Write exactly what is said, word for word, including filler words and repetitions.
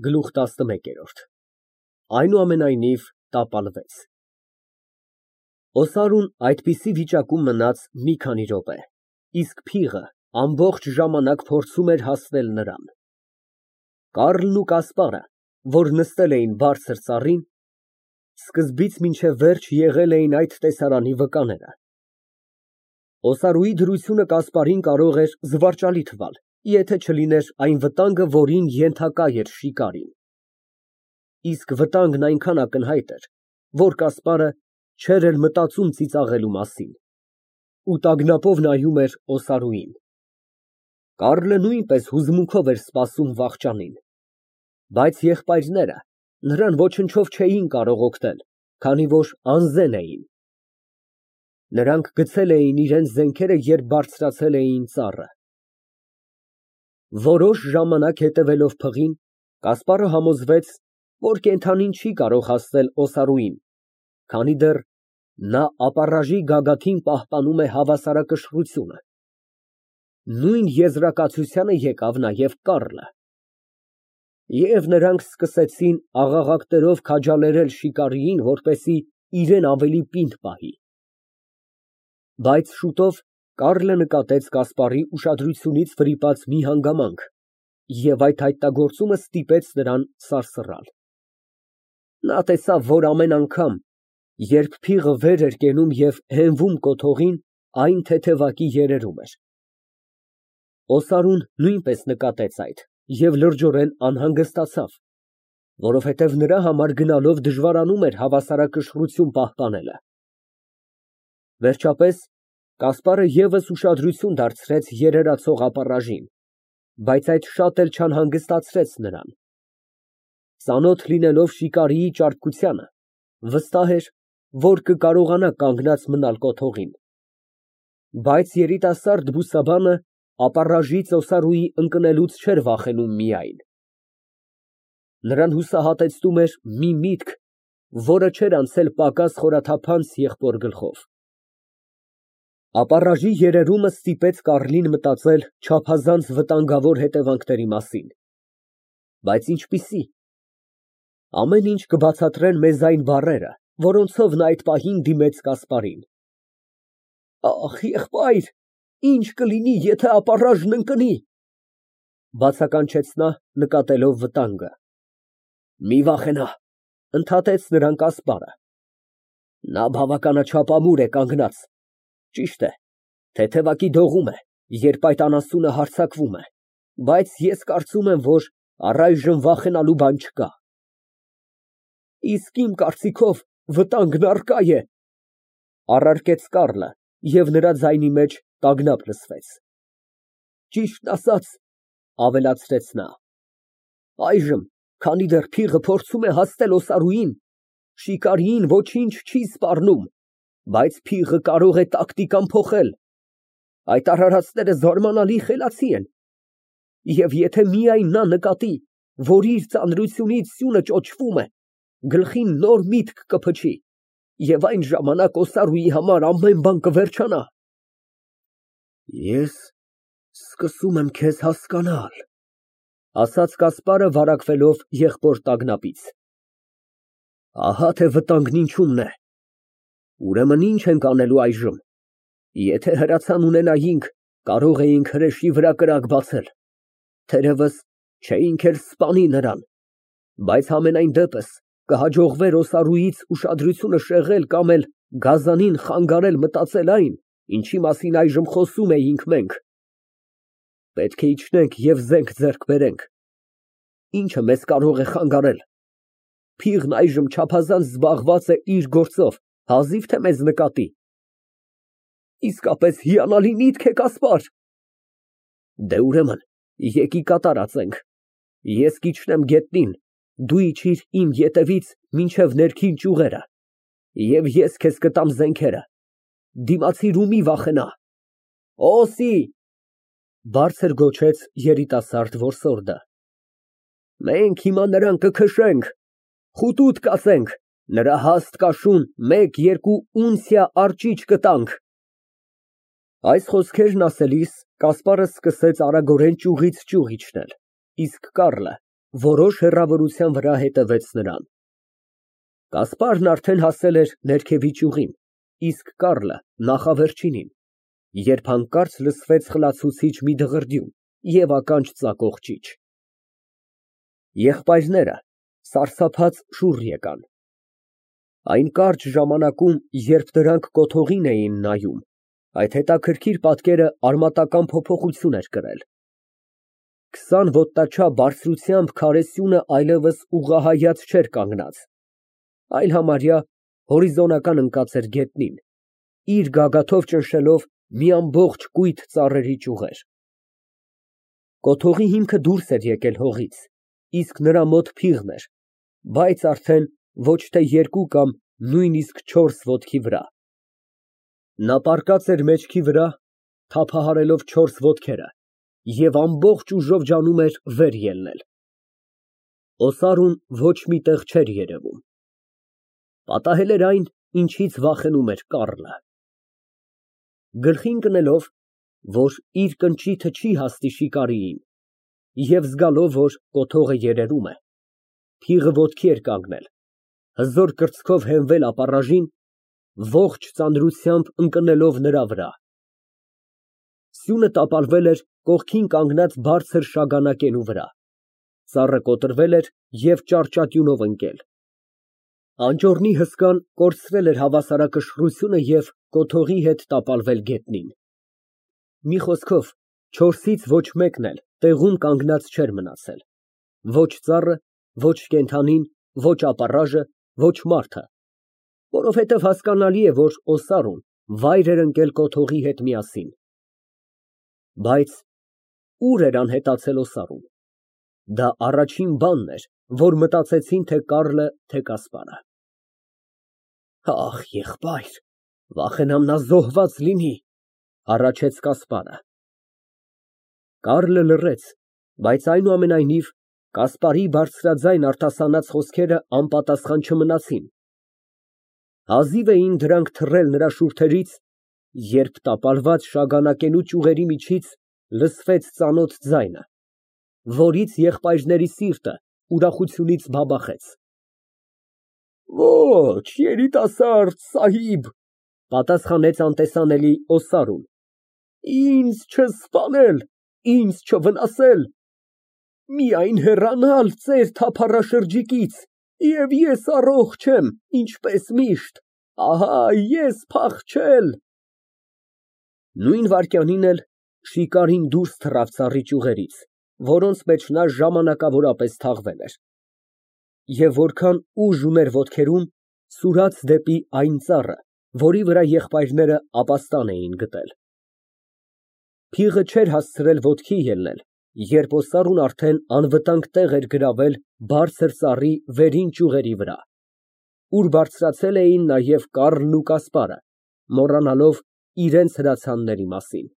Գլուխ տասնմեկ։ Այնուամենայնիվ տապալվեց։ Օսարուն այդպիսի վիճակում մնաց մի քանի րոպե, իսկ փիղը ամբողջ ժամանակ փորձում էր հասնել նրան։ Կառլն ու Կասպարը, որ նստել էին բարձր ծառին, սկզբից մինչև վերջ եղել էին այդ տեսարանի վկաները։ Օսարուի դրությունը Կասպարին կարող էր զվարճալի թվալ, եթե չլիներ այն վտանգը, որին ենթակա էր շիկարին։ Իսկ վտանգն այնքան ակնհայտ էր, որ Կասպարը չէր էլ մտածում ծիծաղելու մասին ու տագնապով նայում էր Օսարուին։ Կառլը նույնպես հուզմունքով էր սպասում վախճանին, բայց եղբայրները նրան ոչնչով չէին կարող օգնել, քանի որ անզեն էին։ Նրանք գցել էին իրենց զենքերը, երբ բարձրացել էին ծառը։ Որոշ ժամանակ հետևելով փղին, Կասպարը համոզվեց, որ կենդանին չի կարող հասնել Օսարուին, քանի դեռ նա ապառաժի գագաթին պահպանում է հավասարակշռությունը։ Նույն եզրակացությանը եկավ նաև Կառլը։ Եվ նրանք սկսեցին աղաղակներով քաջալերել շիկարիին, որպեսզի իրեն ավելի պինդ պահի։ Բայց շուտով Կառլը նկատեց Կասպարի ուշադրությունից վրիպած մի հանգամանք, և այդ հայտնագործումը ստիպեց նրան սարսռալ։ Նա տեսավ, որ ամեն անգամ, երբ փիղը վեր էր կենում և հենվում կոթողին, այն թեթևակի երերում էր։ Օսարուն նույնպես նկատեց այդ և լրջորեն անհանգստացավ, որովհետև նրա համար գնալով դժվարանում էր հավասարակշռություն պահպանելը։ Վերջապես Կասպարը ևս ուշադրություն դարձրեց երերացող ապառաժին, բայց այդ շատ էլ չանհանգստացրեց նրան։ Ծանոթ լինելով շիկարիի ճարպկությանը, վստահ էր, որ կկարողանա կանգնած մնալ կոթողին։ Բայց երիտասարդ բուսաբանը ապառաժից Օսարուի ընկնելուց չէր վախենում միայն։ Նրան հուսահատեցնում էր մի միտք, որը չէր անցել պակաս խորաթափանց եղբոր գլխով։ Ապառաժի երերումը ստիպեց Կառլին մտածել չափազանց վտանգավոր հետևանքների մասին։ Բայց ինչպիսի՞։ Ամեն ինչ կբացատրեն մեզ այն բառերը, որոնցով նա այդ պահին դիմեց Կասպարին։ Ախ, եղբայր, ինչ կլինի, եթե ապառաժն ընկնի, բացականչեց նա, նկատելով վտանգը։ Մի վախենա, ընդհատեց նրան Կասպարը։ Նա բավականաչափ ամուր է կանգնած, ճիշտ է, թեթևակի դողում է, երբ այդ անասունը հարձակվում է, բայց ես կարծում եմ, որ առայժմ վախենալու բան չկա։ Իսկ իմ կարծիքով վտանգն առկա է, առարկեց Կառլը, և նրա ձայնի մեջ տագնապ լսվեց։ Ճիշտն ասած, ավելացրեց նա, այժմ, քանի դեռ փիղը փորձում է հասնել Օսարուին, շիկարիին ոչինչ չի սպառնում, բայց փիղը կարող է տակտիկան փոխել։ Այդ արարածները զարմանալի խելացի են, և եթե միայն նա նկատի, որ իր ծանրությունից սյունը ճոճվում է, գլխին նոր միտք կփչի, և այն ժամանակ Օսարուի համար ամեն բան կվերջանա։ Ես սկսում եմ քեզ հասկանալ, ասաց Կասպարը վարակվելով եղբոր տագնապից։ Ահա թե վտանգն ինչումն է։ Ուրեմն ինչ ենք անելու այժմ։ Եթե հրացան ունենայինք, կարող էինք հրեշի վրա կրակ բացել, թերևս չէինք էլ սպանի նրան, բայց համենայն դեպս կհաջողվեր Օսարուից ուշադրությունը շեղել կամ էլ գազանին խանգարել մտածել այն, ինչի մասին այժմ խոսում էինք մենք։ Պետք է իջնենք և զենք ձեռք բերենք։ Ինչը մեզ կարող է խանգարել։ Փիղն այժմ չափազանց զբաղված է իր գործով, հազիվ թե մեզ նկատի։ Իսկապես հիանալի միտք է, Կասպար։ Դե ուրեմն, եկի կատարածենք։ Ես կիջնեմ գետնին, դու իջիր իմ ետևից մինչև ներքին ճյուղերը, և ես քեզ կտամ զենքերը։ Դիմացիր ու մի վախենա։ Օսի, բարձր գոչեց երիտասարդ որսորդը։ Մենք հիմա նրան կքշենք, խուտուտ կացենք, նրա հաստ կաշուն մեկ֊երկու ունցիա արճիճ կտանք։ Այս խոսքերն ասելիս Կասպարը սկսեց արագորեն ճյուղից ճյուղ իջնել, իսկ Կառլը որոշ հեռավորության վրա հետևեց նրան։ Կասպարն արդեն հասել էր ներքևի ճյուղին, իսկ Կառլը նախավերջինին, երբ հանկարծ լսվեց խլացուցիչ մի դղրդյուն և ականջ ծակող ճիչ։ Եղբայրները սարսափած շուռ եկան։ Այն կարճ ժամանակում, երբ դրանք կոթողին էին նայում, այդ հետաքրքիր պատկերը արմատական փոփոխություն էր կրել։ Քսան ոտնաչափ բարձրությամբ քարե սյունը այլևս ուղղահայաց չէր կանգնած, այլ համարյա հորիզոնական ընկած էր գետնին, իր գագաթով ճնշելով մի ամբողջ կույտ ծառերի ճյուղեր։ Կոթողի հիմքը դուրս էր եկել հողից, իսկ նրա մոտ փիղն էր, բայց արդեն ոչ թե երկու կամ նույնիսկ չորս ոտքի վրա։ Նա պառկած էր մեջքի վրա, թափահարելով չորս ոտքերը և ամբողջ ուժով ջանում էր վեր ելնել։ Օսարուն ոչ մի տեղ չէր երևում։ Պատահել էր այն, ինչից վախենում էր Կառլը։ Գլխի ընկնելով, որ իր կնճիթը չի հասնի շիկարիին, և զգալով, որ կոթողը երերում է, փիղը ոտքի էր կանգնել, հզոր կրծքով հենվել ապառաժին, ողջ ծանրությամբ ընկնելով նրա վրա։ Սյունը տապալվել էր կողքին կանգնած բարձր շագանակենու վրա, ծառը կոտրվել էր և ճարճատյունով ընկել։ Անճոռնի հսկան կորցրել էր հավասարակշռությունը և կոթողի հետ տապալվել գետնին։ Մի խոսքով, չորսից ոչ մեկն էլ տեղում կանգնած չէր մնացել, ոչ ծառը, ոչ կենդանին, ոչ ապառաժը, ոչ մարդը, որովհետև հասկանալի է, որ օսարուն վայր էր ընկել կոթողի հետ միասին։ Բայց ո՞ւր էր անհետացել օսարուն։ Դա առաջին բանն էր, որ մտածեցին թե Կառլը, թե Կասպարը։ Ախ, եղբայր, վախենամ նա զոհված լինի, հառաչեց Կասպարը։ Կառլը լռեց, բայց այնուամենայնիվ Կասպարի բարձրաձայն արտասանած խոսքերը անպատասխան չմնացին։ Հազիվ էին դրանք թռել նրա շուրթերից, երբ տապալված շագանակենու ճյուղերի միջից լսվեց ծանոթ ձայնը, որից եղբայրների սիրտը ուրախությունից բաբախեց։ Ոչ, երիտասարդ սահիբ, պատասխանեց անտեսանելի օսարուն, ինձ չսպանել, ինձ չվնասել, միայն հեռանալ ձեր թափառաշրջիկից, և ես առողջ եմ, ինչպես միշտ, ահա ես փախչել։ Նույն վայրկյանին էլ շիկարին դուրս թռավ ծառի ճյուղերից, որոնց մեջ նա ժամանակավորապես թաղվել էր, և որքան ուժ ուներ ոտքերում, սուրաց դեպի այն ծառը, որի վրա եղբայրները ապաստան էին գտել։ Փիղը չէր հասցրել ոտքի ելնել, երբ օսարուն արդեն անվտանգ տեղ էր գրավել բարձր ծառի վերին ճյուղերի վրա, ուր բարձրացել էին նաև Կառլն ու Կասպարը, մոռանալով իրենց հրացանների մասին։